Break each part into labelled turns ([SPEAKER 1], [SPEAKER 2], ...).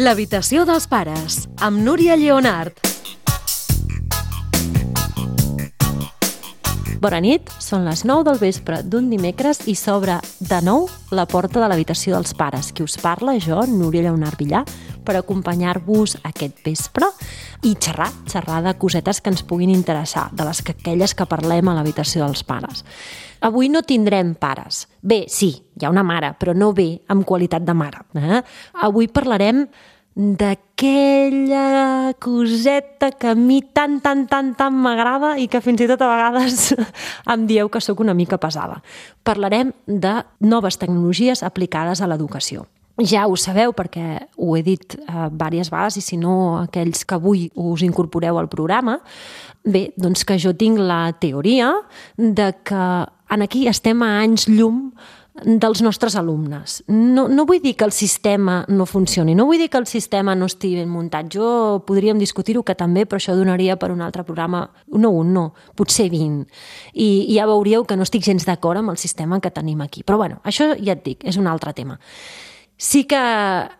[SPEAKER 1] L'habitació dels pares, amb Núria Lleonart. Bona nit, són les 9 del vespre d'un dimecres i s'obre de nou la porta de l'habitació dels pares. Qui us parla, jo, Núria Lleonart Villar, per acompanyar-vos aquest vespre i xerrar de cosetes que ens puguin interessar, de les aquelles que parlem a l'habitació dels pares. Avui no tindrem pares. Bé, sí, hi ha una mare, però no bé amb qualitat de mare. Avui parlarem d'aquella coseta que a mi tant m'agrada i que fins i tot a vegades em dieu que sóc una mica pesada. Parlarem de noves tecnologies aplicades a l'educació. Ja ho sabeu perquè ho he dit diverses vegades i si no aquells que avui us incorporeu al programa, bé, doncs que jo tinc la teoria de que aquí estem a anys llum dels nostres alumnes. No vull dir que el sistema no funcioni, no vull dir que el sistema no estigui ben muntat. Podríem discutir-ho que també, però això donaria per un altre programa, no, potser 20. I ja veuríeu que no estic gens d'acord amb el sistema que tenim aquí. Però bueno, això ja et dic, és un altre tema. Sí que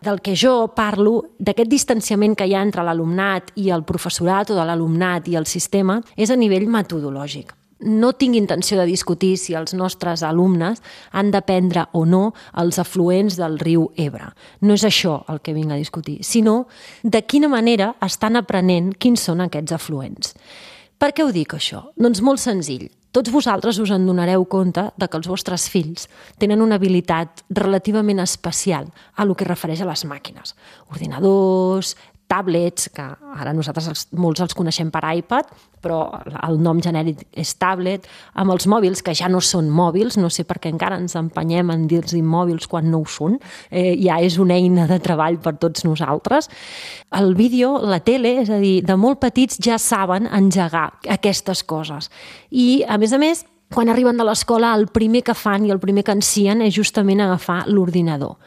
[SPEAKER 1] del que jo parlo, d'aquest distanciament que hi ha entre l'alumnat i el professorat o de l'alumnat i el sistema, és a nivell metodològic. No tinc intenció de discutir si els nostres alumnes han d'aprendre o no els afluents del riu Ebre. No és això el que vinc a discutir, sinó de quina manera estan aprenent quins són aquests afluents. Per què ho dic, això? Doncs molt senzill. Tots vosaltres us en donareu compte de que els vostres fills tenen una habilitat relativament especial a lo que refereix a les màquines. Ordinadors, tablets, que ara nosaltres molts els coneixem per iPad, però el nom genèric és tablet, amb els mòbils, que ja no són mòbils, no sé per què encara ens empenyem en dir-los mòbils quan no ho són, ja és una eina de treball per tots nosaltres. El vídeo, la tele, és a dir, de molt petits ja saben engegar aquestes coses. I, a més, quan arriben de l'escola, el primer que fan i el primer que encien és justament agafar l'ordinador.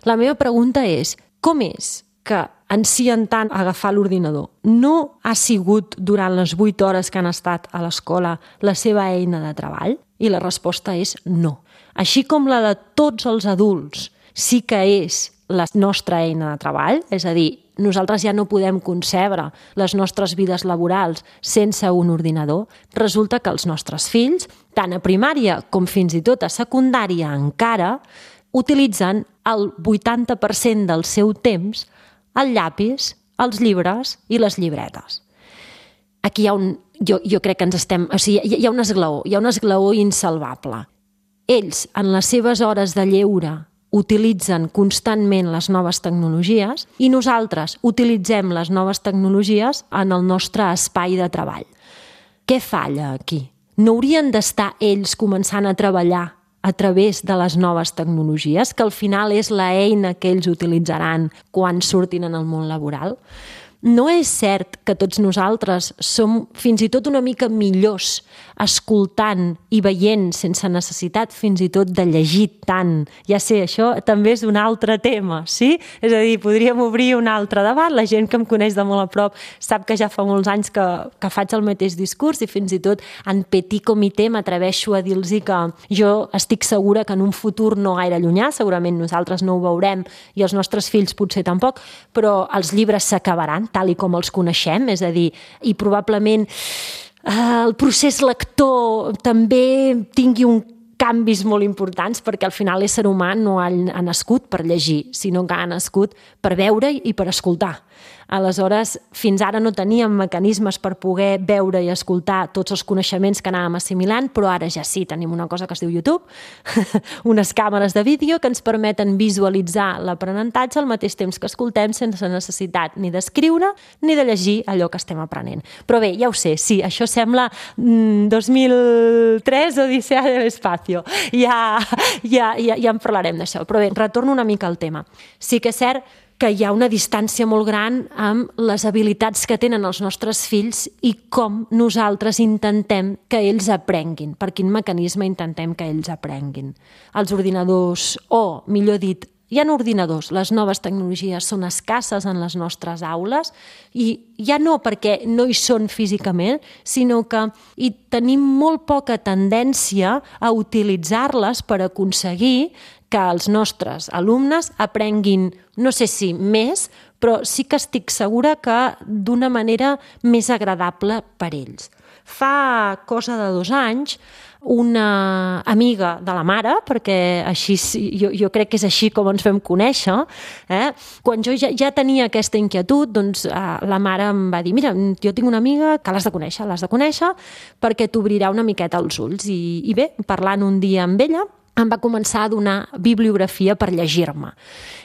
[SPEAKER 1] La meva pregunta és, com és que encien tant a agafar l'ordinador? No ha sigut durant les 8 hores que han estat a l'escola la seva eina de treball? I la resposta és no. Així com la de tots els adults sí que és la nostra eina de treball, és a dir, nosaltres ja no podem concebre les nostres vides laborals sense un ordinador, resulta que els nostres fills, tant a primària com fins i tot a secundària encara, utilitzen el 80% del seu temps el llapis, els llibres i les llibretes. Aquí hi ha jo crec que ens estem... O sigui, hi ha un esglaó insalvable. Ells, en les seves hores de lleure, utilitzen constantment les noves tecnologies i nosaltres utilitzem les noves tecnologies en el nostre espai de treball. Què falla aquí? No haurien d'estar ells començant a treballar a través de les noves tecnologies, que al final és l'eina que ells utilitzaran quan surtin en el món laboral? No és cert que tots nosaltres som fins i tot una mica millors escoltant i veient sense necessitat fins i tot de llegir tant? Ja sé, això també és un altre tema, sí? És a dir, podríem obrir un altre debat. La gent que em coneix de molt a prop sap que ja fa molts anys que faig el mateix discurs i fins i tot en petit comitè m'atreveixo a dir-los que jo estic segura que en un futur no gaire llunyà, segurament nosaltres no ho veurem i els nostres fills potser tampoc, però els llibres s'acabaran tal i com els coneixem, és a dir, i probablement el procés lector també tingui canvis molt importants perquè al final l'ésser humà no ha nascut per llegir, sinó que ha nascut per veure i per escoltar. Aleshores, fins ara no teníem mecanismes per poder veure i escoltar tots els coneixements que anàvem assimilant, però ara ja sí, tenim una cosa que es diu YouTube, unes càmeres de vídeo que ens permeten visualitzar l'aprenentatge al mateix temps que escoltem sense necessitat ni d'escriure ni de llegir allò que estem aprenent. Però bé, ja ho sé, sí, això sembla 2003 Odissea de l'Espacio. Ja en parlarem d'això. Però bé, retorno una mica al tema. Sí que és cert que hi ha una distància molt gran amb les habilitats que tenen els nostres fills i com nosaltres intentem que ells aprenguin, per quin mecanisme intentem que ells aprenguin. Els ordinadors, o millor dit, hi ha ordinadors, les noves tecnologies són escasses en les nostres aules i ja no perquè no hi són físicament, sinó que hi tenim molt poca tendència a utilitzar-les per aconseguir que els nostres alumnes aprenguin, no sé si més, però sí que estic segura que d'una manera més agradable per ells. Fa cosa de 2 anys, una amiga de la mare, perquè així jo crec que és així com ens vam conèixer, quan jo ja tenia aquesta inquietud, doncs la mare em va dir, mira, jo tinc una amiga que l'has de conèixer perquè t'obrirà una miqueta els ulls. I bé, parlant un dia amb ella, em va començar a donar bibliografia per llegir-me.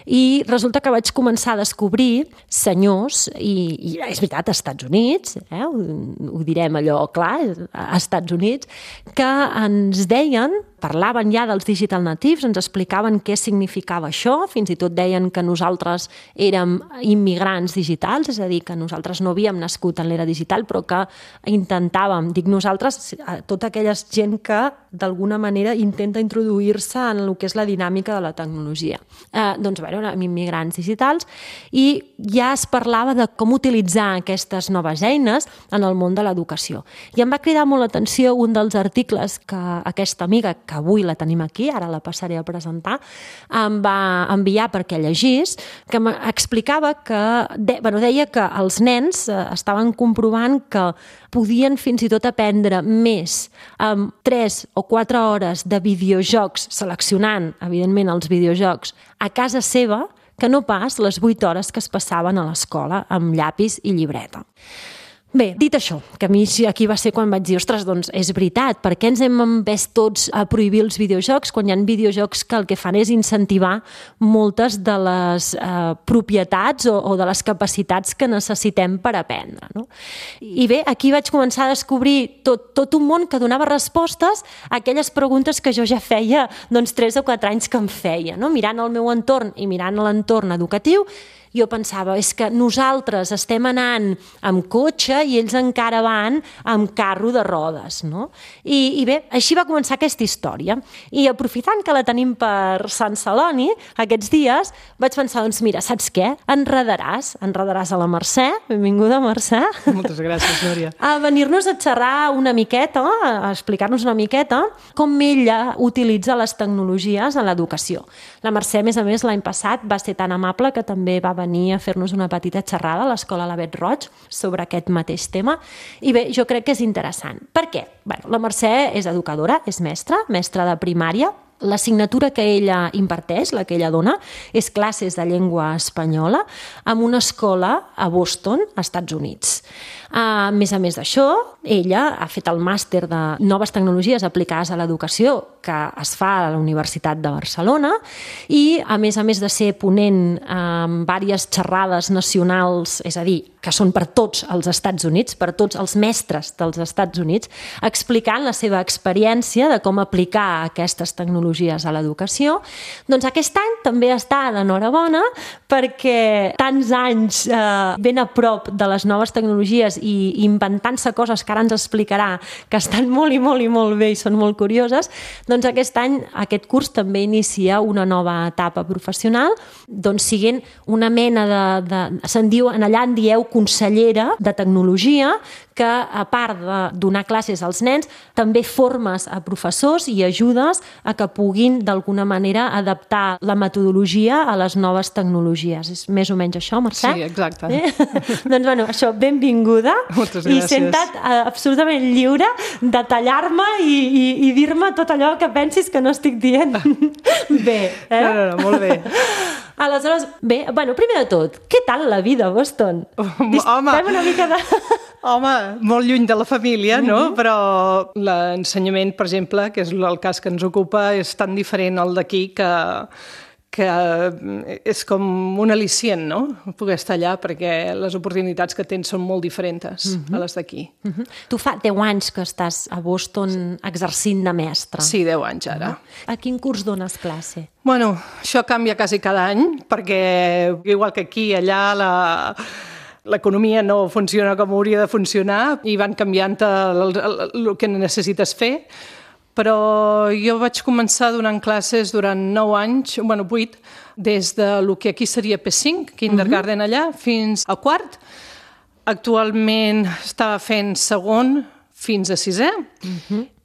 [SPEAKER 1] I resulta que vaig començar a descobrir senyors, i és veritat, als Estats Units, ho direm allò clar, als Estats Units, que ens deien, parlaven ja dels digital natives, ens explicaven què significava això, fins i tot deien que nosaltres érem immigrants digitals, és a dir, que nosaltres no havíem nascut en l'era digital, però que intentàvem, dic nosaltres, tota aquella gent que d'alguna manera intenta introduir-se en el que és la dinàmica de la tecnologia. Doncs, bé, érem immigrants digitals i ja es parlava de com utilitzar aquestes noves eines en el món de l'educació. I em va cridar molt l'atenció un dels articles que aquesta amiga, que avui la tenim aquí, ara la passaré a presentar, em va enviar perquè llegís, que m'explicava que, deia que els nens estaven comprovant que podien fins i tot aprendre més amb 3 o 4 hores de videojocs, seleccionant, evidentment, els videojocs, a casa seva, que no pas les 8 hores que es passaven a l'escola amb llapis i llibreta. Bé, dit això, que a mi aquí va ser quan vaig dir, ostres, doncs és veritat, per què ens hem empès tots a prohibir els videojocs quan hi ha videojocs que el que fan és incentivar moltes de les propietats o de les capacitats que necessitem per aprendre, no? I bé, aquí vaig començar a descobrir tot un món que donava respostes a aquelles preguntes que jo ja feia 3 o 4 anys que em feia, no? Mirant el meu entorn i mirant l'entorn educatiu, jo pensava, és que nosaltres estem anant amb cotxe i ells encara van amb carro de rodes, no? I bé, així va començar aquesta història. I aprofitant que la tenim per Sant Celoni, aquests dies, vaig pensar, doncs mira, saps què? Enredaràs a la Mercè, benvinguda Mercè.
[SPEAKER 2] Moltes gràcies, Núria.
[SPEAKER 1] A venir-nos a xerrar una miqueta, a explicar-nos una miqueta com ella utilitza les tecnologies en l'educació. La Mercè, a més, l'any passat va ser tan amable que també va venir a fer-nos una petita xerrada a l'Escola Lavet Roig sobre aquest mateix tema. I bé, jo crec que és interessant. Per què? Bé, la Mercè és educadora, és mestra de primària. L'assignatura que ella imparteix, la que ella dona, és classes de llengua espanyola en una escola a Boston, als Estats Units. A més d'això, ella ha fet el màster de noves tecnologies aplicades a l'educació que es fa a la Universitat de Barcelona i, a més de ser ponent en diverses xerrades nacionals, és a dir, que són per tots els Estats Units, per tots els mestres dels Estats Units, explicant la seva experiència de com aplicar aquestes tecnologies a l'educació, doncs aquest any també està d'enhorabona perquè tants anys ben a prop de les noves tecnologies i inventant-se coses que ara ens explicarà que estan molt bé i són molt curioses, doncs aquest any, aquest curs també inicia una nova etapa professional, doncs siguent una mena se'n diu, allà en dieu consellera de tecnologia, que a part de donar classes als nens, també formes a professors i ajudes a que puguin d'alguna manera adaptar la metodologia a les noves tecnologies. És més o menys això, Mercè?
[SPEAKER 2] Sí, exacte.
[SPEAKER 1] Doncs, bueno, això, benvinguda.
[SPEAKER 2] Moltes gràcies.
[SPEAKER 1] I senta't absolutament lliure de tallar-me i dir-me tot allò que pensis que no estic dient bé.
[SPEAKER 2] No, molt bé.
[SPEAKER 1] Aleshores, bé, bueno, primer de tot, què tal la vida a Boston?
[SPEAKER 2] Home, molt lluny de la família, no? Però l'ensenyament, per exemple, que és el cas que ens ocupa, és tan diferent al d'aquí que és com un al·licient, no? Poder estar allà perquè les oportunitats que tens són molt diferents a les d'aquí.
[SPEAKER 1] Tu fa 10 anys que estàs a Boston exercint de mestre.
[SPEAKER 2] Sí, 10 anys ara.
[SPEAKER 1] A quin curs dones classe?
[SPEAKER 2] Bueno, això canvia quasi cada any perquè, igual que aquí, allà l'economia no funciona com hauria de funcionar i van canviant el que necessites fer. Però jo vaig començar donant classes durant 9 anys, 8, des de lo que aquí seria P5, kindergarten allà, fins a quart. Actualment estava fent segon fins a sisè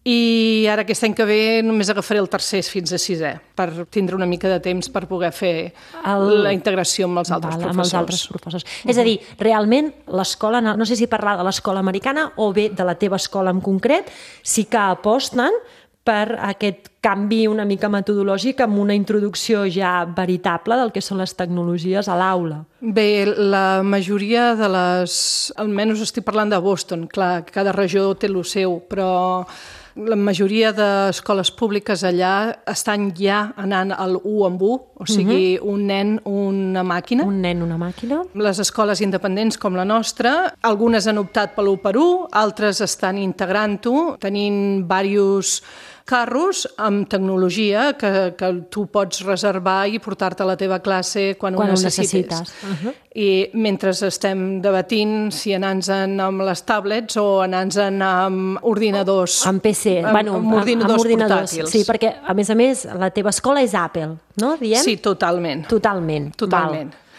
[SPEAKER 2] I ara aquest any que ve només agafaré el tercer fins a sisè, per tindre una mica de temps per poder fer la integració amb els altres professors.
[SPEAKER 1] Amb els altres professors. És a dir, realment l'escola, no sé si parlar de l'escola americana o bé de la teva escola en concret, sí que aposten per aquest canvi una mica metodològic amb una introducció ja veritable del que són les tecnologies a l'aula.
[SPEAKER 2] Bé, la majoria de les... Almenys estic parlant de Boston, clar, cada regió té el seu, però la majoria d'escoles públiques allà estan ja anant al 1 amb 1, o sigui, un nen, una màquina.
[SPEAKER 1] Un nen, una màquina.
[SPEAKER 2] Les escoles independents com la nostra, algunes han optat per l'1 per 1, altres estan integrant-ho, tenint diversos carros amb tecnologia que tu pots reservar i portar-te a la teva classe quan ho necessites. I mentre estem debatint si anar-nos-en amb les tablets o anar-nos-en amb ordinadors.
[SPEAKER 1] Amb PC, amb ordinadors portàtils. Sí, perquè, a més, la teva escola és Apple, no? Diem?
[SPEAKER 2] Sí, totalment.
[SPEAKER 1] Totalment.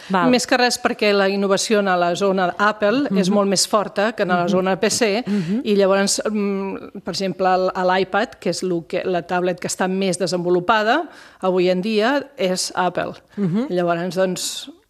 [SPEAKER 2] Val. Més que res perquè la innovació en la zona Apple és molt més forta que en la zona PC i llavors, per exemple, l'iPad, que és la tablet que està més desenvolupada avui en dia, és Apple. Llavors, doncs,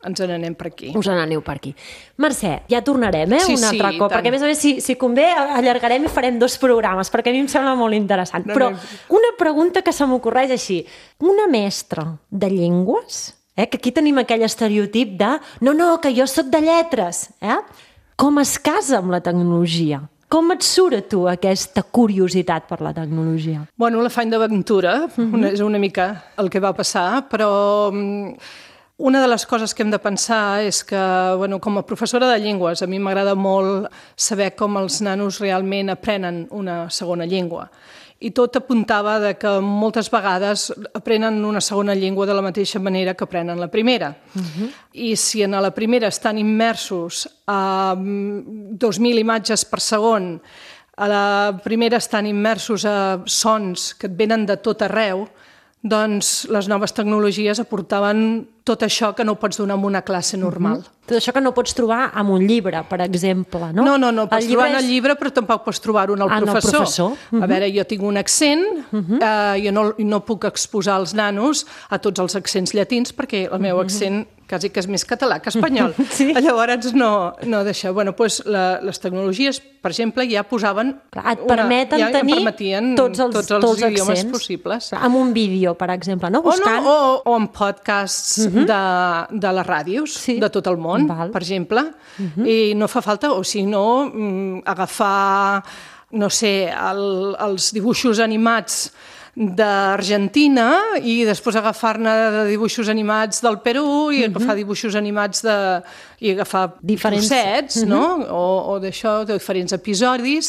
[SPEAKER 2] ens n'anem per aquí.
[SPEAKER 1] Us n'aneu per aquí. Mercè, ja tornarem, un altre cop, perquè a més, si convé, allargarem i farem 2 programes, perquè a mi em sembla molt interessant. Però una pregunta que se m'ocorreix així. Una mestra de llengües, que aquí tenim aquell estereotip de no, que jo sóc de lletres, com es casa amb la tecnologia? Com et surt a tu aquesta curiositat per la tecnologia?
[SPEAKER 2] Bueno, l'afany d'aventura és una mica el que va passar, però una de les coses que hem de pensar és que, com a professora de llengües, a mi m'agrada molt saber com els nanos realment aprenen una segona llengua. I tot apuntava que moltes vegades aprenen una segona llengua de la mateixa manera que aprenen la primera. I si en la primera estan immersos a 2.000 imatges per segon, a la primera estan immersos a sons que et venen de tot arreu, doncs les noves tecnologies aportaven tot això que no pots donar en una classe normal.
[SPEAKER 1] Tot això que no pots trobar en un llibre, per exemple, no?
[SPEAKER 2] No, pots trobar en el llibre, però tampoc pots trobar-ho en el professor. A veure, jo tinc un accent, jo no puc exposar als nanos a tots els accents llatins, perquè el meu accent quasi que és més català que espanyol. Llavors no deixa. Doncs les tecnologies, per exemple, ja posaven...
[SPEAKER 1] Et permeten tenir tots els
[SPEAKER 2] idiomes possibles.
[SPEAKER 1] Amb un vídeo, per exemple, no?
[SPEAKER 2] O amb podcasts de les ràdios de tot el món, per exemple. I no fa falta, o si no, agafar, no sé, els dibuixos animats d'Argentina i després agafar-ne de dibuixos animats del Perú i agafar dibuixos animats i agafar trossets, no? O d'això, de diferents episodis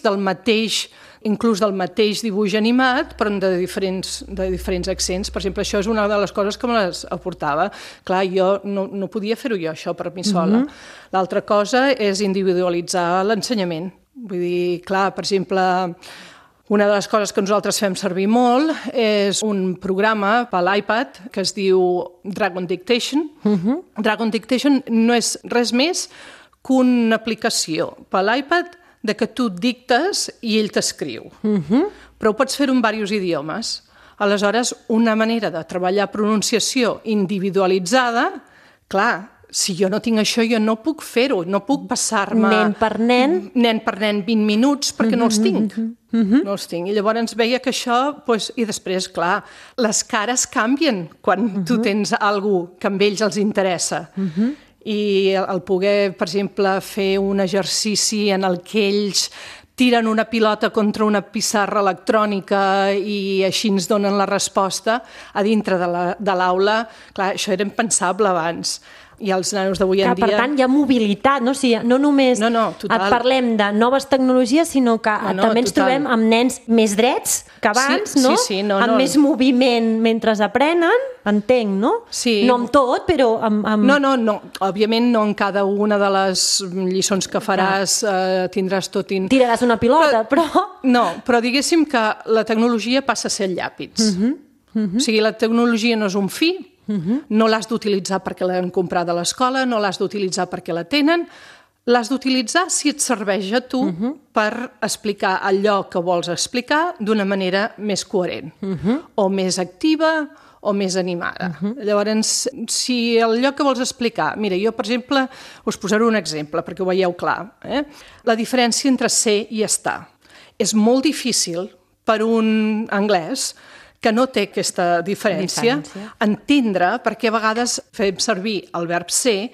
[SPEAKER 2] inclús del mateix dibuix animat, però de diferents accents. Per exemple, això és una de les coses que me les aportava. Clar, jo no podia fer-ho jo, això, per mi sola. L'altra cosa és individualitzar l'ensenyament. Vull dir, clar, per exemple, una de les coses que nosaltres fem servir molt és un programa per l'iPad que es diu Dragon Dictation. Dragon Dictation no és res més que una aplicació per l'iPad de que tu dictes i ell t'escriu. Però ho pots fer en diversos idiomes. Aleshores, una manera de treballar pronunciació individualitzada, clar, si jo no tinc això, jo no puc fer-ho, no puc passar-me...
[SPEAKER 1] Nen per nen
[SPEAKER 2] 20 minuts, perquè no els tinc. No els tinc. I llavors veia que això... I després, clar, les cares canvien quan tu tens alguna cosa que amb ells els interessa. I el poder, per exemple, fer un exercici en el que ells tiren una pilota contra una pissarra electrònica i així ens donen la resposta a dintre de l'aula. Clar, això era impensable abans. I els nanos d'avui en dia...
[SPEAKER 1] Per tant, hi ha mobilitat, no? O sigui, no només parlem de noves tecnologies, sinó que també ens trobem amb nens més drets que abans, no? Amb més moviment mentre aprenen, entenc, no? No amb tot, però amb...
[SPEAKER 2] No, òbviament no en cada una de les lliçons que faràs tindràs tot...
[SPEAKER 1] Tiraràs una pilota, però...
[SPEAKER 2] No, però diguéssim que la tecnologia passa a ser llàpits. O sigui, la tecnologia no és un fi, no l'has d'utilitzar perquè l'han comprat a l'escola, no l'has d'utilitzar perquè la tenen, L'has d'utilitzar si et serveix a tu per explicar allò que vols explicar d'una manera més coherent, o més activa, o més animada. Llavors, si allò que vols explicar... Mira, jo, per exemple, us posaré un exemple, perquè ho veieu clar. La diferència entre ser i estar. És molt difícil per un anglès que no té aquesta diferència entendre perquè a vegades fem servir el verb ser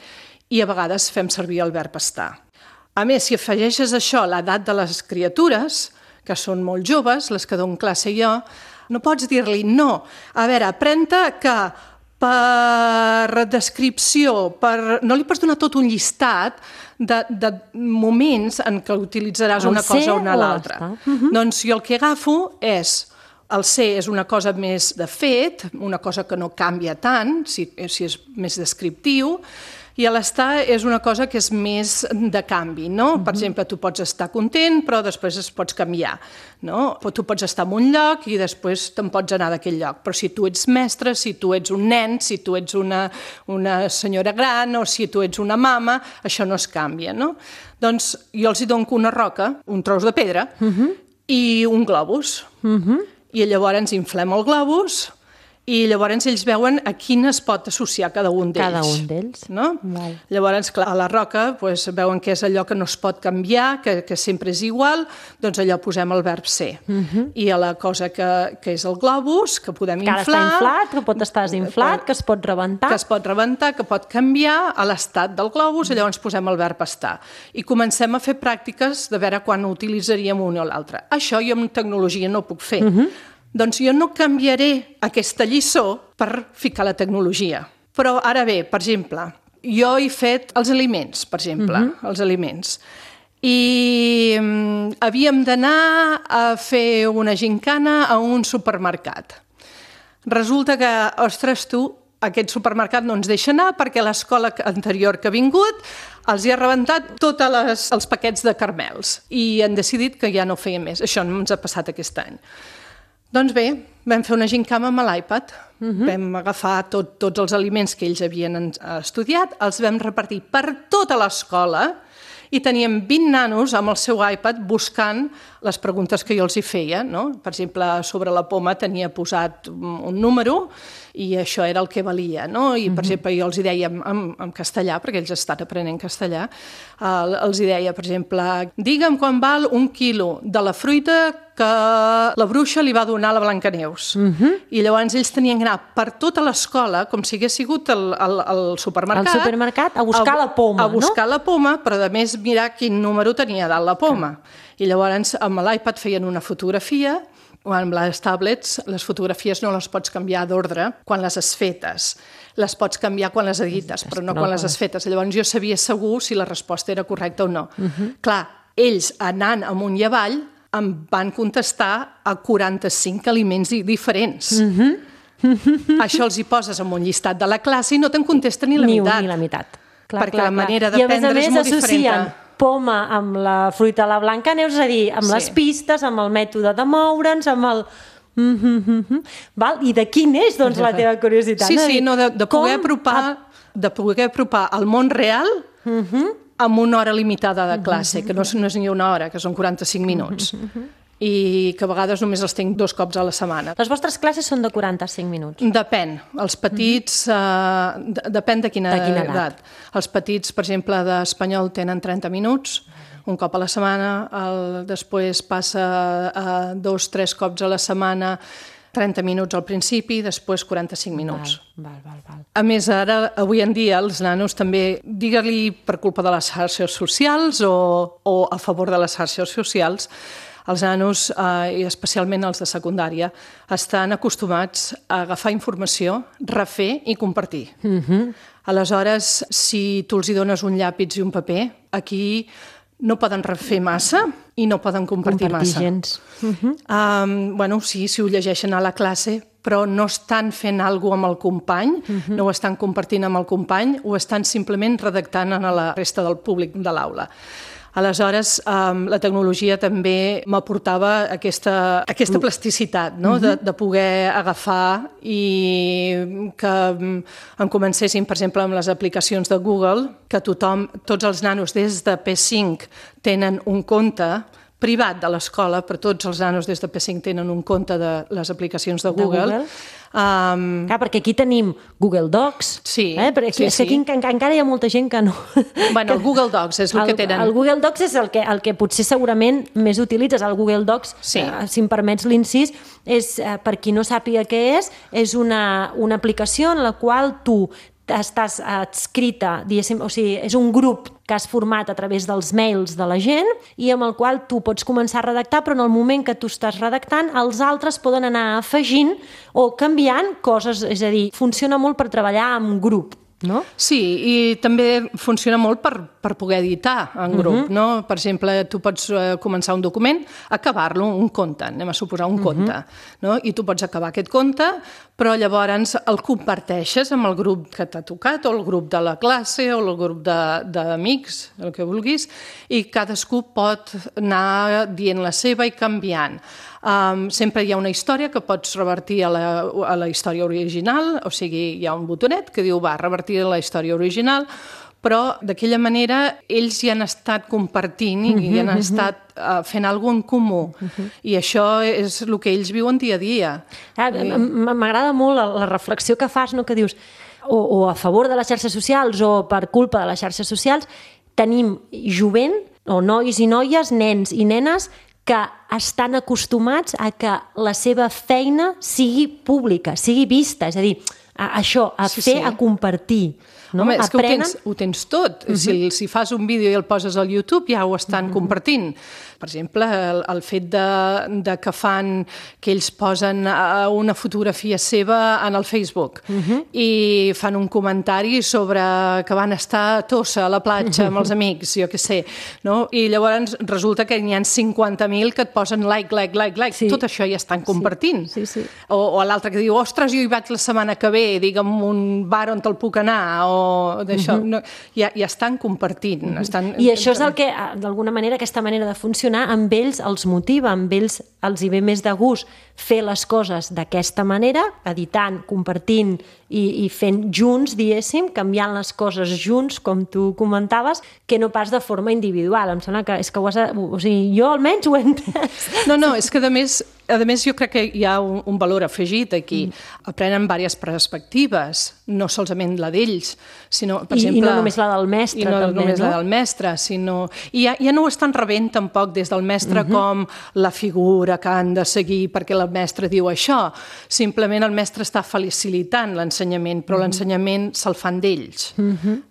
[SPEAKER 2] i a vegades fem servir el verb estar. A més, si afegeixes això a l'edat de les criatures, que són molt joves, les que dono classe jo, no pots dir-li no. A veure, aprèn-te que per descripció, no li pots donar tot un llistat de moments en què utilitzaràs una cosa o una l'altra. Doncs jo el que agafo és... El ser és una cosa més de fet, una cosa que no canvia tant, si és més descriptiu, i l'estar és una cosa que és més de canvi, no? Per exemple, tu pots estar content, però després es pots canviar, no? Tu pots estar en un lloc i després te'n pots anar d'aquell lloc, però si tu ets mestre, si tu ets un nen, si tu ets una senyora gran o si tu ets una mama, això no es canvia, no? Doncs jo els hi dono una roca, un tros de pedra i un globus. I llavors ens inflem el globus i llavors ells veuen a quin es pot associar cada un d'ells.
[SPEAKER 1] Cada un d'ells.
[SPEAKER 2] No? Llavors, clar, a la roca doncs, veuen que és allò que no es pot canviar, que sempre és igual, doncs allò posem el verb ser. I a la cosa que és el globus, que podem inflar...
[SPEAKER 1] Que ara està inflat, que pot estar desinflat, que es pot rebentar.
[SPEAKER 2] Que es pot rebentar, que pot canviar a l'estat del globus, i llavors posem el verb estar. I comencem a fer pràctiques de veure quan utilitzaríem un o l'altre. Això jo amb tecnologia no ho puc fer. Doncs jo no canviaré aquesta lliçó per ficar la tecnologia. Però ara bé, per exemple, jo he fet els aliments, per exemple, els aliments. I havíem d'anar a fer una gincana a un supermercat. Resulta que, ostres, tu, aquest supermercat no ens deixa anar perquè l'escola anterior que ha vingut els hi ha rebentat tots els paquets de caramels i han decidit que ja no ho feien més. Això no ens ha passat aquest any. Doncs bé, vam fer una gincama amb l'iPad, vam agafar tots els aliments que ells havien estudiat, els vam repartir per tota l'escola i teníem 20 nanos amb el seu iPad buscant les preguntes que jo els hi feia. No? Per exemple, sobre la poma tenia posat un número i això era el que valia. No? I, per exemple, jo els hi deia en castellà, perquè ells estan aprenent castellà, els hi deia, per exemple, digue'm quan val 1 quilo de la fruita que la bruixa li va donar a la Blancaneus. I llavors ells tenien que anar per tota l'escola, com si hagués sigut el supermercat.
[SPEAKER 1] Al supermercat a buscar la poma,
[SPEAKER 2] no? A buscar la poma, però a més mirar quin número tenia dalt la poma. I llavors amb l'iPad feien una fotografia, o amb les tablets les fotografies no les pots canviar d'ordre quan les has fetes. Les pots canviar quan les edites, però no quan les has fetes. Llavors jo sabia segur si la resposta era correcta o no. Clar, ells anant amunt i avall em van contestar a 45 aliments diferents. Això els hi poses en un llistat de la classe i no te'n contesta ni la meitat.
[SPEAKER 1] Ni la meitat.
[SPEAKER 2] Perquè la manera d'aprendre és molt diferent.
[SPEAKER 1] I a més associen poma amb la fruita a la Blancaneus, és a dir, amb les pistes, amb el mètode de moure'ns, amb el... I d'aquí neix, doncs, la teva curiositat.
[SPEAKER 2] Sí, de poder apropar al món real amb una hora limitada de classe, que no és ni una hora, que són 45 minuts. I que a vegades només els tinc 2 cops a la setmana.
[SPEAKER 1] Les vostres classes són de 45 minuts?
[SPEAKER 2] Depèn. Els petits, depèn de quina edat. Els petits, per exemple, d'espanyol tenen 30 minuts, un cop a la setmana, després passa a 2-3 cops a la setmana, 30 minuts al principi, després 45 minuts.
[SPEAKER 1] Val.
[SPEAKER 2] A més, ara, avui en dia, els nanos també, digue-li per culpa de les xarxes socials o a favor de les xarxes socials, els nanos, i especialment els de secundària, estan acostumats a agafar informació, refer i compartir. Aleshores, si tu els hi dones un llapis i un paper, aquí no poden refer massa i no poden compartir massa.
[SPEAKER 1] Gens.
[SPEAKER 2] Sí, ho llegeixen a la classe, però no estan fent alguna cosa amb el company, no ho estan compartint amb el company, ho estan simplement redactant a la resta del públic de l'aula. Aleshores, la tecnologia també m'aportava aquesta plasticitat, no? De poder agafar i que em comencessin, per exemple, amb les aplicacions de Google, que tots els nanos des de P5 tenen un compte privat de l'escola, però tots els nanos des de P5 tenen un compte de les aplicacions de Google.
[SPEAKER 1] Clar, perquè aquí tenim Google Docs, perquè és que aquí encara hi ha molta gent que no...
[SPEAKER 2] Bueno, el Google Docs és el que tenen.
[SPEAKER 1] El Google Docs és el que potser segurament més utilitzes. El Google Docs, si em permets l'incís, és, per qui no sàpiga què és una aplicació en la qual tu estàs adscrita, diguéssim, o sigui, és un grup que has format a través dels mails de la gent i amb el qual tu pots començar a redactar, però en el moment que tu estàs redactant, els altres poden anar afegint o canviant coses, és a dir, funciona molt per treballar en grup. No?
[SPEAKER 2] Sí, i també funciona molt per poder editar en grup. No? Per exemple, tu pots començar un document, acabar-lo, un conte, anem a suposar un conte, no? I tu pots acabar aquest conte, però llavors el comparteixes amb el grup que t'ha tocat, o el grup de la classe, o el grup d'amics, el que vulguis, i cadascú pot anar dient la seva i canviant. Sempre hi ha una història que pots revertir a la història original, o sigui, hi ha un botonet que diu revertir a la història original, però d'aquella manera ells hi han estat compartint i hi han estat fent alguna cosa en comú. I això és el que ells viuen dia a dia.
[SPEAKER 1] M'agrada molt la reflexió que fas, no? Que dius o a favor de les xarxes socials o per culpa de les xarxes socials, tenim jovent, o nois i noies, nens i nenes, que estan acostumats a que la seva feina sigui pública, sigui vista, és a dir, a compartir. No?
[SPEAKER 2] Home, és que ho tens tot. Si fas un vídeo i el poses al YouTube ja ho estan compartint. Per exemple, el fet de que ells posen una fotografia seva en el Facebook i fan un comentari sobre que van estar a Tossa, a la platja, amb els amics, jo què sé, no? I llavors resulta que n'hi ha 50.000 que et posen like. Sí. Tot això ja estan compartint.
[SPEAKER 1] Sí.
[SPEAKER 2] O l'altre que diu, ostres, jo hi vaig la setmana que ve, digue'm un bar on te'l puc anar, o d'això. Ja estan compartint.
[SPEAKER 1] I això és el que, d'alguna manera, aquesta manera de funcionar amb ells els motiva, amb ells els hi ve més de gust fer les coses d'aquesta manera, editant, compartint i fent junts, diguéssim, canviant les coses junts, com tu comentaves, que no pas de forma individual. Em sembla que és que o sigui, jo almenys ho he entès.
[SPEAKER 2] No, és que a més jo crec que hi ha un valor afegit aquí. Aprenen diverses perspectives, no solament la d'ells, sinó, per exemple...
[SPEAKER 1] I no només la del mestre,
[SPEAKER 2] també, no?
[SPEAKER 1] I no
[SPEAKER 2] només la del mestre, sinó... I ja no ho estan rebent tampoc des del mestre com la figura que han de seguir perquè el mestre diu això. Simplement el mestre està facilitant l'ensenyament, però l'ensenyament se'l fan d'ells.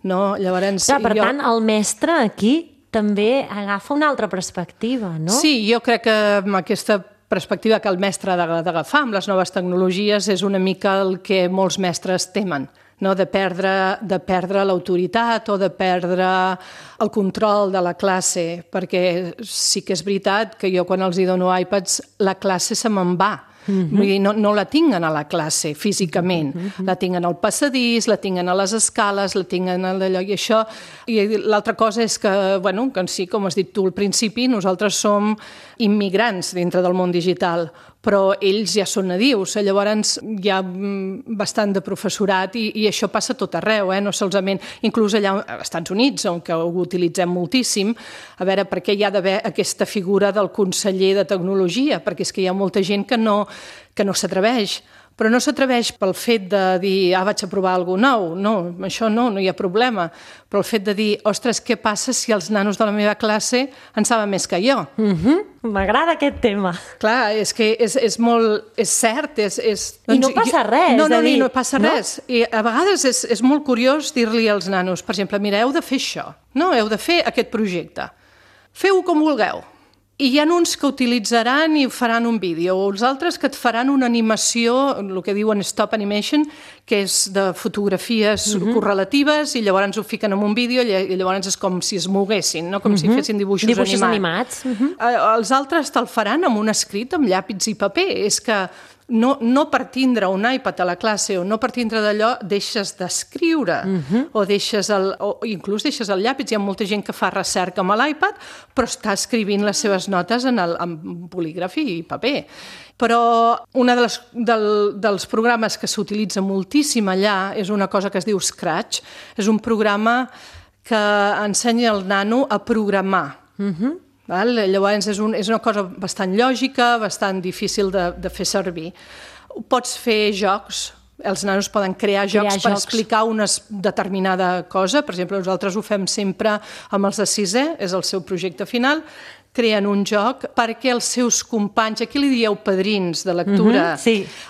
[SPEAKER 2] No? Llavors,
[SPEAKER 1] per tant, el mestre aquí també agafa una altra perspectiva, no?
[SPEAKER 2] Sí, jo crec que amb aquesta perspectiva que el mestre ha d'agafar amb les noves tecnologies és una mica el que molts mestres temen, no? De perdre l'autoritat o de perdre el control de la classe, perquè sí que és veritat que jo quan els dono iPads la classe se me'n va. Vull dir, no la tinguen a la classe físicament, la tinguen al passadís, la tinguen a les escales, la tinguen a d'allò i això. I l'altra cosa és que, bueno, que sí, com has dit tu al principi, nosaltres som immigrants dintre del món digital, però ells ja són nadius, llavors hi ha bastant de professorat i això passa tot arreu, no solament, inclús allà als Estats Units, on ho utilitzem moltíssim, a veure per què hi ha d'haver aquesta figura del conseller de tecnologia, perquè és que hi ha molta gent que no s'atreveix. Però no s'atreveix pel fet de dir vaig a provar alguna cosa nou. No, això no hi ha problema. Però el fet de dir, ostres, què passa si els nanos de la meva classe en saben més que jo?
[SPEAKER 1] M'agrada aquest tema.
[SPEAKER 2] Clar, és que és molt... És cert,
[SPEAKER 1] I no passa res.
[SPEAKER 2] No passa res. I a vegades és molt curiós dir-li als nanos, per exemple, mira, heu de fer això, no? Heu de fer aquest projecte. Feu-ho com vulgueu. I hi ha uns que utilitzaran i faran un vídeo, o els altres que et faran una animació, el que diuen stop animation, que és de fotografies correlatives, i llavors ho fiquen en un vídeo i llavors és com si es moguessin, no? Com si fessin dibuixos animats.
[SPEAKER 1] Els
[SPEAKER 2] altres te'l faran amb un escrit, amb llàpis i paper. És que no per tindre un iPad a la classe o no per tindre d'allò, deixes d'escriure o inclús deixes el llapis. Hi ha molta gent que fa recerca amb l'iPad, però està escrivint les seves notes en bolígraf i paper. Però un dels programes que s'utilitza moltíssim allà és una cosa que es diu Scratch. És un programa que ensenya al nano a programar. Llavors és una cosa bastant lògica, bastant difícil de fer servir. Pots fer jocs, els nanos poden crear jocs per explicar una determinada cosa. Per exemple, nosaltres ho fem sempre amb els de 6è, és el seu projecte final. Creen un joc perquè els seus companys, aquí li dieu padrins de lectura,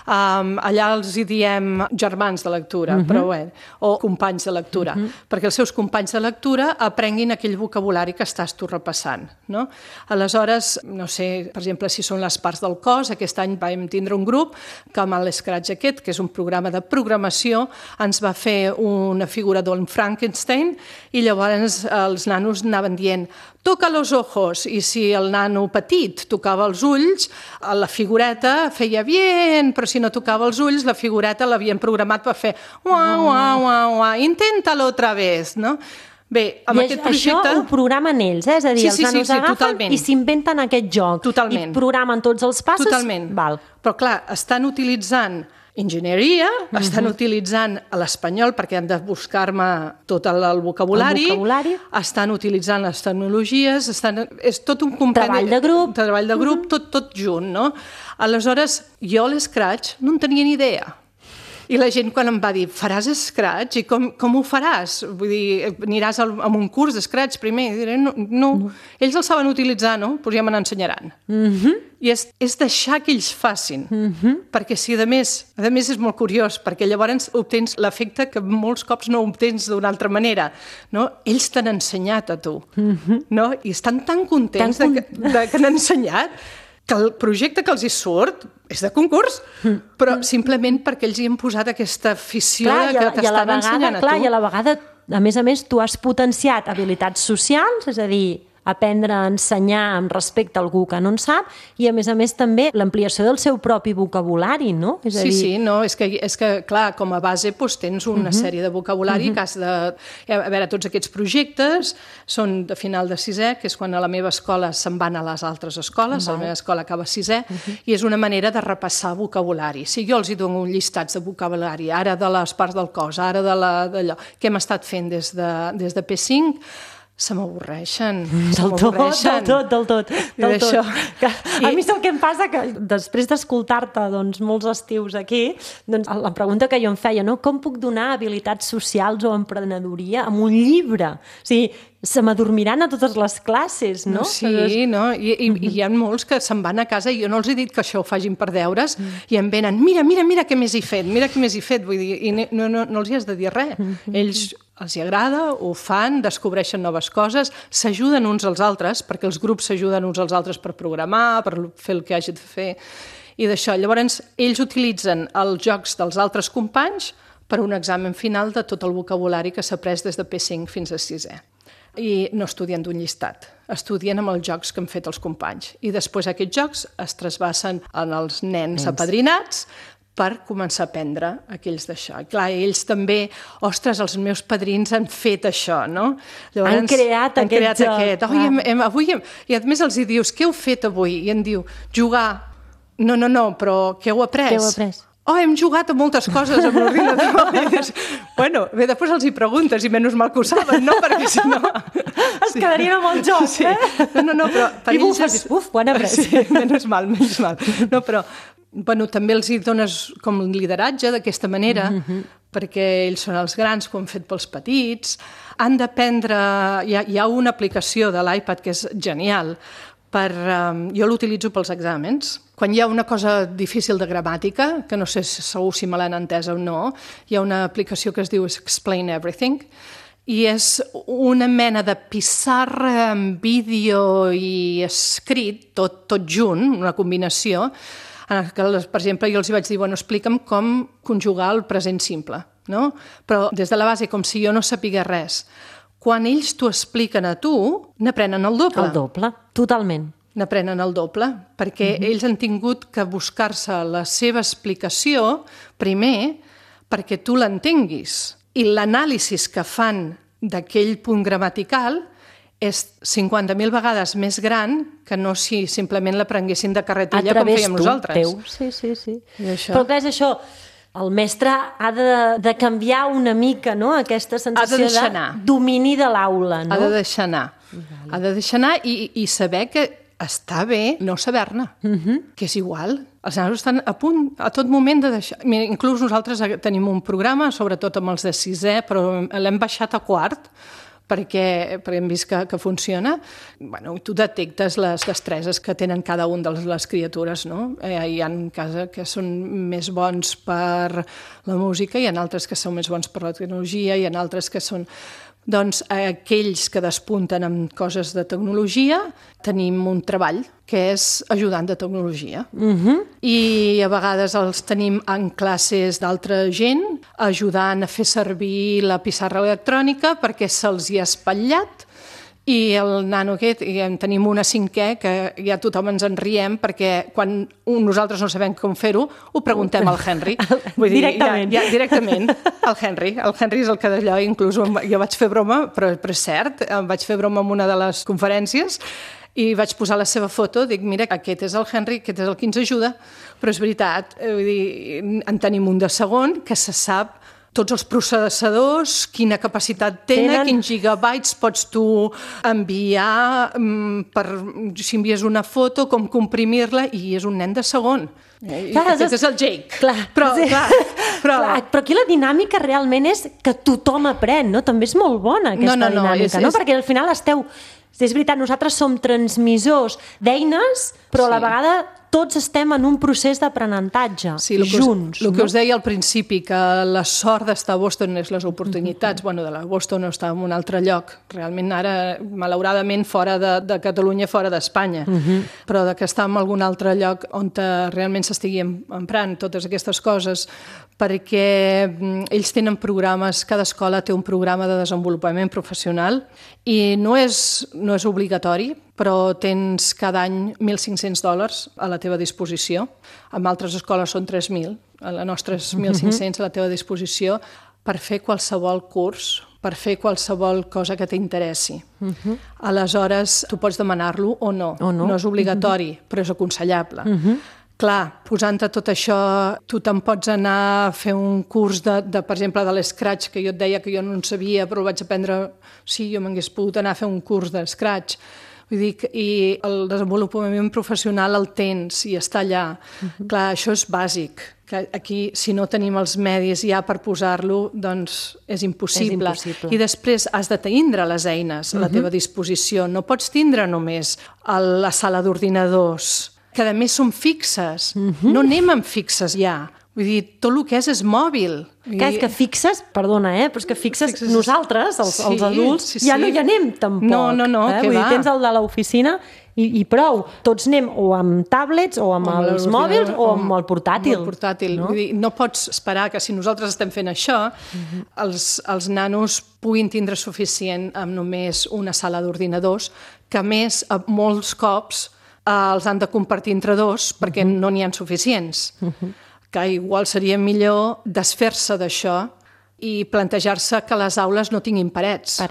[SPEAKER 2] allà els hi diem germans de lectura, però bé, o companys de lectura, perquè els seus companys de lectura aprenguin aquell vocabulari que estàs tu repassant. No? Aleshores, no sé, per exemple, si són les parts del cos, aquest any vam tindre un grup que amb l'Scratch aquest, que és un programa de programació, ens va fer una figura d'un Frankenstein i llavors els nanos anaven dient toca los ojos, i si el nano petit tocava els ulls, la figureta feia bien, però si no tocava els ulls, la figureta l'havien programat per fer inténtalo otra vez, no? Bé, amb aquest projecte...
[SPEAKER 1] Això ho programen ells, és a dir, els nanos agafen i s'inventen aquest joc.
[SPEAKER 2] Totalment.
[SPEAKER 1] I programen tots els passos.
[SPEAKER 2] Totalment. Però clar, estan utilitzant enginyeria, estan utilitzant l'espanyol perquè han de buscar-me tot el vocabulari, estan utilitzant les tecnologies, és tot un compendi... Treball de grup, tot junt, no? Aleshores, jo l'Scratch no en tenia ni idea. I la gent quan em va dir, faràs Scratch? I com ho faràs? Vull dir, aniràs a un curs d'Scratch primer? I diré, no. Ells el saben utilitzar, no? Doncs ja me n'ensenyaran. I és deixar que ells facin. Perquè si, a més és molt curiós, perquè llavors obtens l'efecte que molts cops no obtens d'una altra manera. No? Ells t'han ensenyat a tu. No? I estan tan contents que han ensenyat que el projecte que els hi surt és de concurs, però simplement perquè ells hi han posat aquesta afició que t'estan ensenyant a tu.
[SPEAKER 1] I a la vegada, a més, tu has potenciat habilitats socials, és a dir, aprendre a ensenyar amb respecte a algú que no en sap, i a més també l'ampliació del seu propi vocabulari, no? És a dir...
[SPEAKER 2] Sí, no, és que clar, com a base tens una sèrie de vocabulari que has de... A veure, tots aquests projectes són de final de 6è, que és quan a la meva escola se'n van a les altres escoles, la meva escola acaba 6è, i és una manera de repassar vocabulari. Si jo els hi dono llistats de vocabulari, ara de les parts del cos, ara d'allò, que hem estat fent des de P5, se m'avorreixen.
[SPEAKER 1] Del tot. A mi és el que em passa, que després d'escoltar-te molts estius aquí, la pregunta que jo em feia, com puc donar habilitats socials o emprenedoria amb un llibre? O sigui, se m'adormiran a totes les classes, no?
[SPEAKER 2] Sí, no? I hi ha molts que se'n van a casa i jo no els he dit que això ho facin per deures i em venen, mira què més he fet, vull dir, i no els hi has de dir res. Ells els hi agrada, ho fan, descobreixen noves coses, s'ajuden uns als altres, perquè els grups s'ajuden uns als altres per programar, per fer el que hagi de fer, i d'això. Llavors, ells utilitzen els jocs dels altres companys per un examen final de tot el vocabulari que s'ha après des de P5 fins a 6è. I no estudien d'un llistat, estudien amb els jocs que han fet els companys. I després aquests jocs es trasbassen en els nens apadrinats per començar a aprendre aquells d'això. I clar, ells també, ostres, els meus padrins han fet això, no?
[SPEAKER 1] Llavors, han creat aquest joc.
[SPEAKER 2] Avui, i a més els hi dius, què heu fet avui? I em diu, jugar. No, però què heu après? Hem jugat a moltes coses amb l'ordinador. Bueno, bé, després els hi preguntes i menys mal que ho saben, no? Perquè si no...
[SPEAKER 1] Es quedarien amb el joc,
[SPEAKER 2] No, però...
[SPEAKER 1] I bufes, ho han après.
[SPEAKER 2] Sí, menys mal. No, però, bueno, també els hi dones com lideratge d'aquesta manera, perquè ells són els grans que ho han fet pels petits. Han d'aprendre... Hi ha una aplicació de l'iPad que és genial, jo l'utilitzo pels exàmens. Quan hi ha una cosa difícil de gramàtica, que no sé segur si me l'han entesa o no, hi ha una aplicació que es diu Explain Everything, i és una mena de pissarra amb vídeo i escrit, tot junt, una combinació, que, per exemple, jo els vaig dir, explica'm com conjugar el present simple, no? Però des de la base, com si jo no sapigués res. Quan ells t'ho expliquen a tu, n'aprenen el doble.
[SPEAKER 1] El doble, totalment.
[SPEAKER 2] n'aprenen el doble, perquè ells han tingut que buscar-se la seva explicació primer perquè tu l'entenguis. I l'anàlisi que fan d'aquell punt gramatical és 50.000 vegades més gran que no si simplement l'aprenguessin de carretilla com fèiem nosaltres.
[SPEAKER 1] Sí. Però clar, és això, el mestre ha de canviar una mica, no?, aquesta sensació de domini de l'aula, no?
[SPEAKER 2] Ha de deixar anar. Ha de deixar anar i saber que està bé no saber-ne, que és igual. Els nanos estan a punt, a tot moment de deixar... Mira, inclús nosaltres tenim un programa, sobretot amb els de 6è, però l'hem baixat a 4, perquè hem vist que funciona. Bueno, tu detectes les destreses que tenen cada un de les criatures, no? Hi ha casos que són més bons per la música, hi ha altres que són més bons per la tecnologia, hi ha altres que són... Doncs aquells que despunten amb coses de tecnologia tenim un treball que és ajudant de tecnologia. I a vegades els tenim en classes d'altra gent ajudant a fer servir la pissarra electrònica perquè se'ls hi ha espatllat. I el nano aquest, en tenim una 5è, que ja tothom ens en riem, perquè quan nosaltres no sabem com fer-ho, ho preguntem al Henry.
[SPEAKER 1] Vull dir, directament.
[SPEAKER 2] Ja, directament, al Henry. El Henry és el que d'allò, inclús jo vaig fer broma, però és cert, vaig fer broma en una de les conferències i vaig posar la seva foto, dic, mira, aquest és el Henry, aquest és el que ens ajuda, però és veritat, vull dir, en tenim un de segon que se sap tots els processadors, quina capacitat tenen, quins gigabytes pots tu enviar, si envies una foto, com comprimir-la, i és un nen de segon. Aquest és el Jake. Però
[SPEAKER 1] aquí la dinàmica realment és que tothom aprèn, no? També és molt bona aquesta dinàmica, no? Perquè al final esteu... És veritat, nosaltres som transmissors d'eines, però a la vegada tots estem en un procés d'aprenentatge, junts.
[SPEAKER 2] El que us deia al principi, que la sort d'estar a Boston és les oportunitats. Bueno, de la Boston no està en un altre lloc. Realment ara, malauradament, fora de Catalunya, fora d'Espanya. Però que està en algun altre lloc on realment s'estigui emprant totes aquestes coses, perquè ells tenen programes, cada escola té un programa de desenvolupament professional i no és obligatori, però tens cada any $1.500 a la teva disposició. En altres escoles són 3.000, a la nostra és 1.500 a la teva disposició per fer qualsevol curs, per fer qualsevol cosa que t'interessi. Aleshores, tu pots demanar-lo o no. No és obligatori, però és aconsellable. Clar, posant-te tot això, tu te'n pots anar a fer un curs per exemple, de l'Scratch, que jo et deia que jo no en sabia, però el vaig aprendre... Sí, jo m'hagués pogut anar a fer un curs de Scratch. Vull dir, i el desenvolupament professional el tens i està allà. Clar, això és bàsic. Que aquí, si no tenim els medis ja per posar-lo, doncs és impossible. I després has de tindre les eines a la teva disposició. No pots tindre només la sala d'ordinadors, que a més són fixes. No anem amb fixes ja. Vull dir, tot el que és mòbil.
[SPEAKER 1] És que fixes, perdona, però és que fixes nosaltres, els adults, ja no hi anem tampoc.
[SPEAKER 2] No, que
[SPEAKER 1] va. Tens el de l'oficina i prou. Tots anem o amb tablets o amb els mòbils o amb el portàtil.
[SPEAKER 2] Vull dir, no pots esperar que si nosaltres estem fent això, els nanos puguin tindre suficient amb només una sala d'ordinadors, que a més, molts cops, els han de compartir entre dos perquè no n'hi ha suficients. Que igual seria millor desfer-se d'això i plantejar-se que les aules no tinguin parets.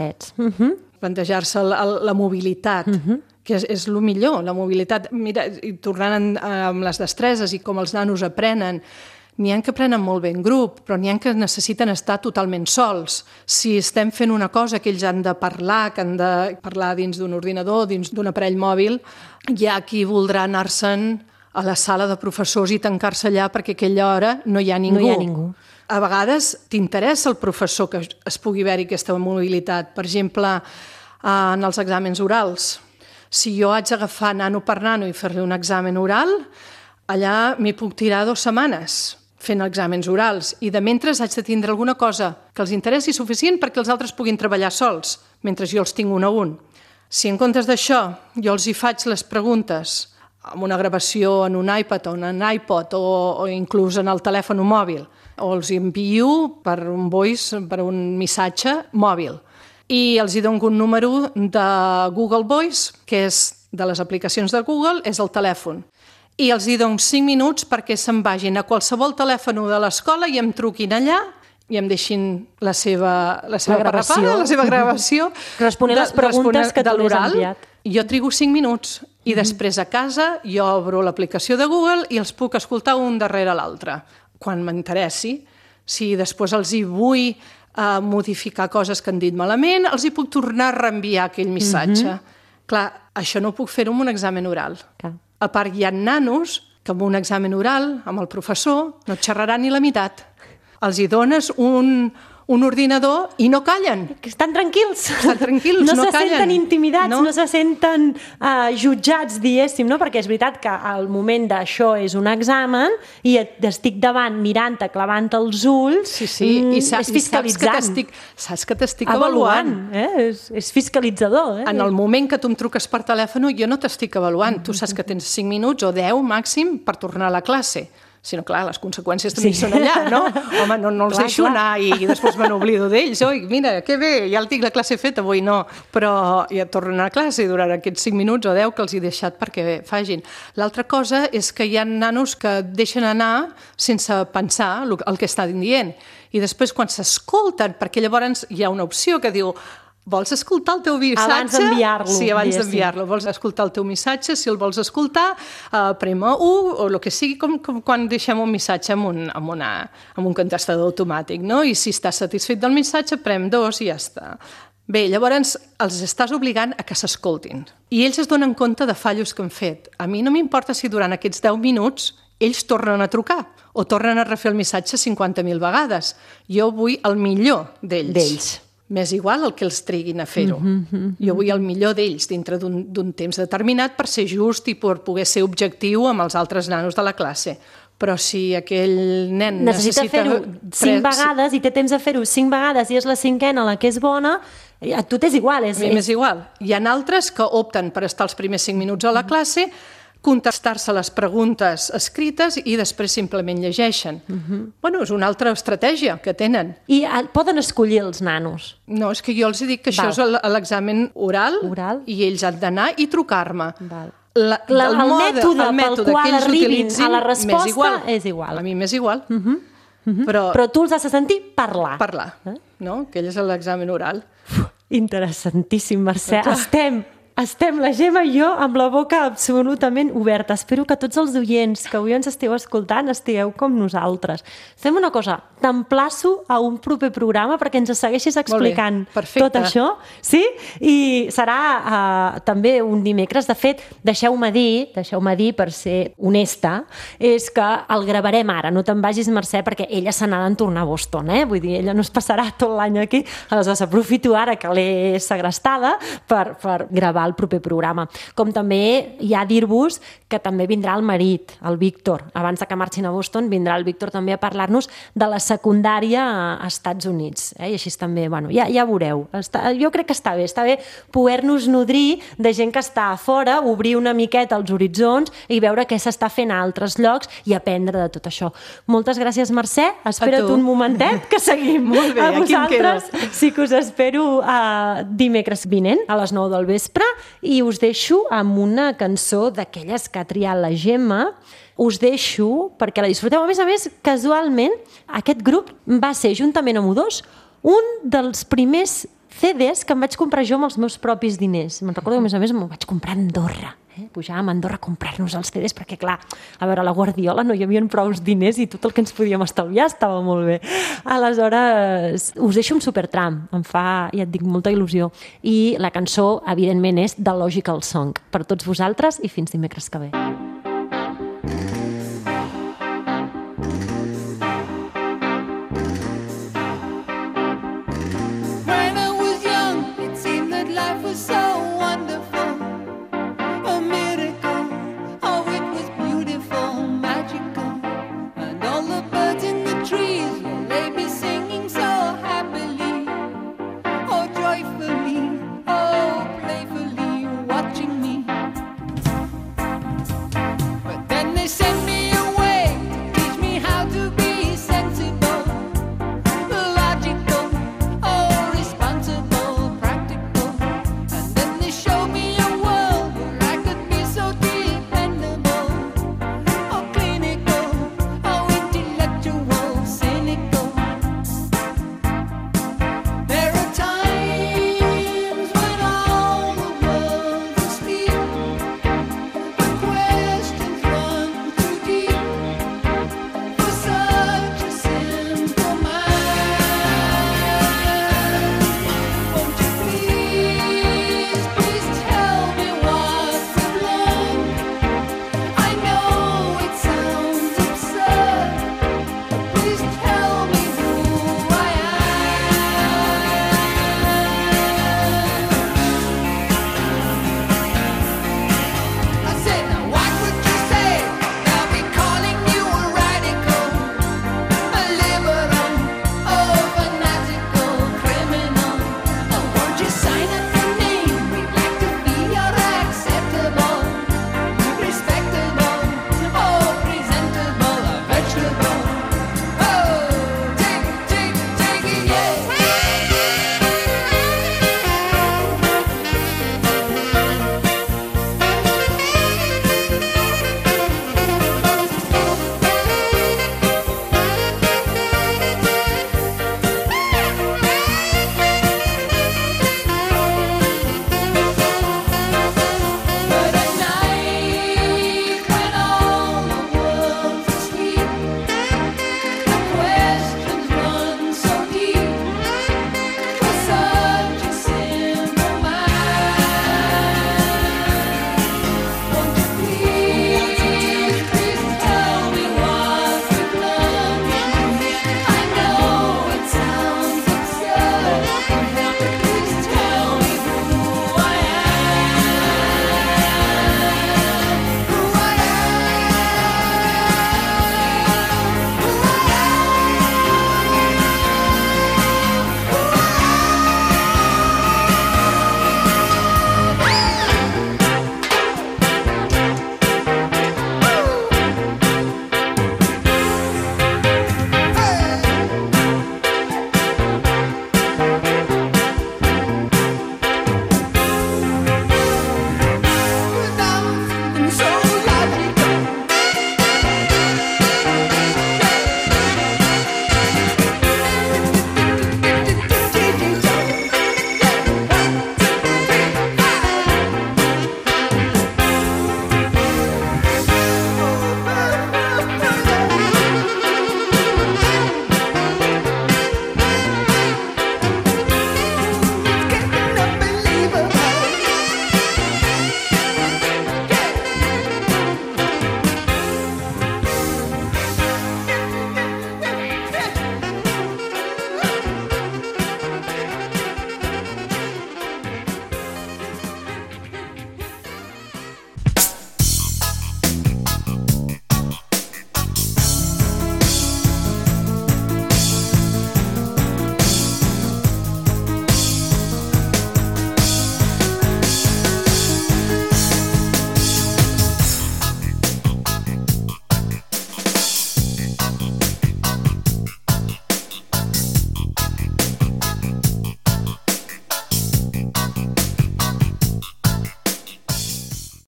[SPEAKER 2] Plantejar-se la mobilitat, que és el millor, la mobilitat. Mira, i tornant amb les destreses i com els nanos aprenen, n'hi ha que aprenen molt bé en grup, però n'hi ha que necessiten estar totalment sols. Si estem fent una cosa que ells han de parlar, que han de parlar dins d'un ordinador, dins d'un aparell mòbil, hi ha qui voldrà anar-se'n a la sala de professors i tancar-se allà perquè a aquella hora no hi ha ningú. A vegades t'interessa el professor que es pugui haver-hi aquesta mobilitat. Per exemple, en els exàmens orals. Si jo haig d'agafar nano per nano i fer-li un examen oral, allà m'hi puc tirar 2 setmanes fent exàmens orals i de mentre haig de tindre alguna cosa que els interessi suficient perquè els altres puguin treballar sols, mentre jo els tinc un a un. Si en comptes d'això jo els hi faig les preguntes amb una gravació en un iPad o en un iPod o inclús en el telèfon mòbil, o els envio per un voice, per un missatge mòbil, i els hi dono un número de Google Voice, que és de les aplicacions de Google és el telèfon. I els hi dono 5 minuts perquè se'n vagin a qualsevol telèfon de l'escola i em truquin allà i em deixin la seva
[SPEAKER 1] gravació.
[SPEAKER 2] la seva gravació
[SPEAKER 1] responent les preguntes que tu li has enviat.
[SPEAKER 2] Jo trigo 5 minuts i després a casa jo obro l'aplicació de Google i els puc escoltar un darrere l'altre. Quan m'interessi, si després els hi vull modificar coses que han dit malament, els hi puc tornar a reenviar aquell missatge. Clar, això no ho puc fer amb un examen oral. A part, hi ha nanos que amb un examen oral, amb el professor, no xerraran ni la meitat. Els hi dones un ordinador i no callen.
[SPEAKER 1] Estan tranquils.
[SPEAKER 2] Estan tranquils, no
[SPEAKER 1] se
[SPEAKER 2] callen.
[SPEAKER 1] Senten intimidats, no se senten jutjats, diguéssim, no? Perquè és veritat que al moment d'això és un examen i estic davant mirant-te, clavant els ulls, és fiscalitzant.
[SPEAKER 2] Saps que t'estic avaluant.
[SPEAKER 1] És fiscalitzador.
[SPEAKER 2] En el moment que tu em truques per telèfon, jo no t'estic avaluant. Tu saps que tens 5 minuts o 10 màxim per tornar a la classe. Si no, clar, les conseqüències també són allà, no? Home, no els deixo anar i després me n'oblido d'ells. Oi, mira, que bé, ja el tinc la classe feta, avui no. Però ja tornen a classe durant aquests 5 minuts o 10 que els he deixat perquè facin. L'altra cosa és que hi ha nanos que deixen anar sense pensar el que estan dient. I després, quan s'escolten, perquè llavors hi ha una opció que diu vols escoltar el teu missatge?
[SPEAKER 1] Abans d'enviar-lo.
[SPEAKER 2] Sí, abans d'enviar-lo. Vols escoltar el teu missatge? Si el vols escoltar, prema 1 o el que sigui, com quan deixem un missatge amb un contestador automàtic, no? I si estàs satisfet del missatge, prem 2 i ja està. Bé, llavors els estàs obligant a que s'escoltin. I ells es donen compte de fallos que han fet. A mi no m'importa si durant aquests 10 minuts ells tornen a trucar o tornen a refer el missatge 50.000 vegades. Jo vull el millor d'ells. M'és igual el que els triguin a fer-ho. Jo vull el millor d'ells dintre d'un temps determinat per ser just i per poder ser objectiu amb els altres nanos de la classe. Però si aquell nen
[SPEAKER 1] necessita fer-ho 5 vegades i té temps de fer-ho 5 vegades i és la 5a la que és bona, a tu t'és igual.
[SPEAKER 2] A mi m'és igual. Hi ha altres que opten per estar els primers 5 minuts a la classe, contestar-se les preguntes escrites i després simplement llegeixen. Bueno, és una altra estratègia que tenen.
[SPEAKER 1] I poden escollir els nanos?
[SPEAKER 2] No, és que jo els dic que això és l'examen oral i ells han d'anar i trucar-me.
[SPEAKER 1] El mètode pel qual arribin a la resposta és igual.
[SPEAKER 2] A mi m'és igual.
[SPEAKER 1] Però tu els has de sentir parlar.
[SPEAKER 2] Parlar, no? Que ell és l'examen oral.
[SPEAKER 1] Interessantíssim, Mercè. Estem, la Gemma i jo, amb la boca absolutament oberta. Espero que tots els oients que avui ens esteu escoltant estigueu com nosaltres. Fem una cosa, t'emplaço a un proper programa perquè ens segueixis explicant tot això. Sí? I serà també un dimecres. De fet, deixeu-me dir, per ser honesta, és que el gravarem ara. No te'n vagis, Mercè, perquè ella se n'ha de tornar a Boston. Vull dir, ella no es passarà tot l'any aquí. Aleshores, aprofito ara que l'he segrestada per gravar el proper programa. Com també hi ha a dir-vos que també vindrà el marit, el Víctor. Abans de que marxin a Boston, vindrà el Víctor també a parlar-nos de la secundària a Estats Units. I així també, bueno, ja veureu. Jo crec que està bé poder-nos nodrir de gent que està a fora, obrir una miqueta els horitzons i veure què s'està fent a altres llocs i aprendre de tot això. Moltes gràcies, Mercè. Espera't un momentet, que seguim.
[SPEAKER 2] Molt bé,
[SPEAKER 1] a vosaltres sí que us espero dimecres vinent, a les 9 del vespre, i us deixo amb una cançó d'aquelles que ha triat la Gemma. Us deixo perquè la disfruteu. A més, casualment, aquest grup va ser, juntament amb U2, un dels primers CDs que em vaig comprar jo amb els meus propis diners. Me'n recordo que, a més, m'ho vaig comprar a Andorra. Pujàvem a Andorra a comprar-nos els CDs perquè, clar, a veure, a la Guardiola no hi havia prou diners i tot el que ens podíem estalviar estava molt bé. Aleshores, us deixo un supertram. Em fa, ja et dic, molta il·lusió. I la cançó, evidentment, és The Logical Song. Per tots vosaltres i fins dimecres que ve.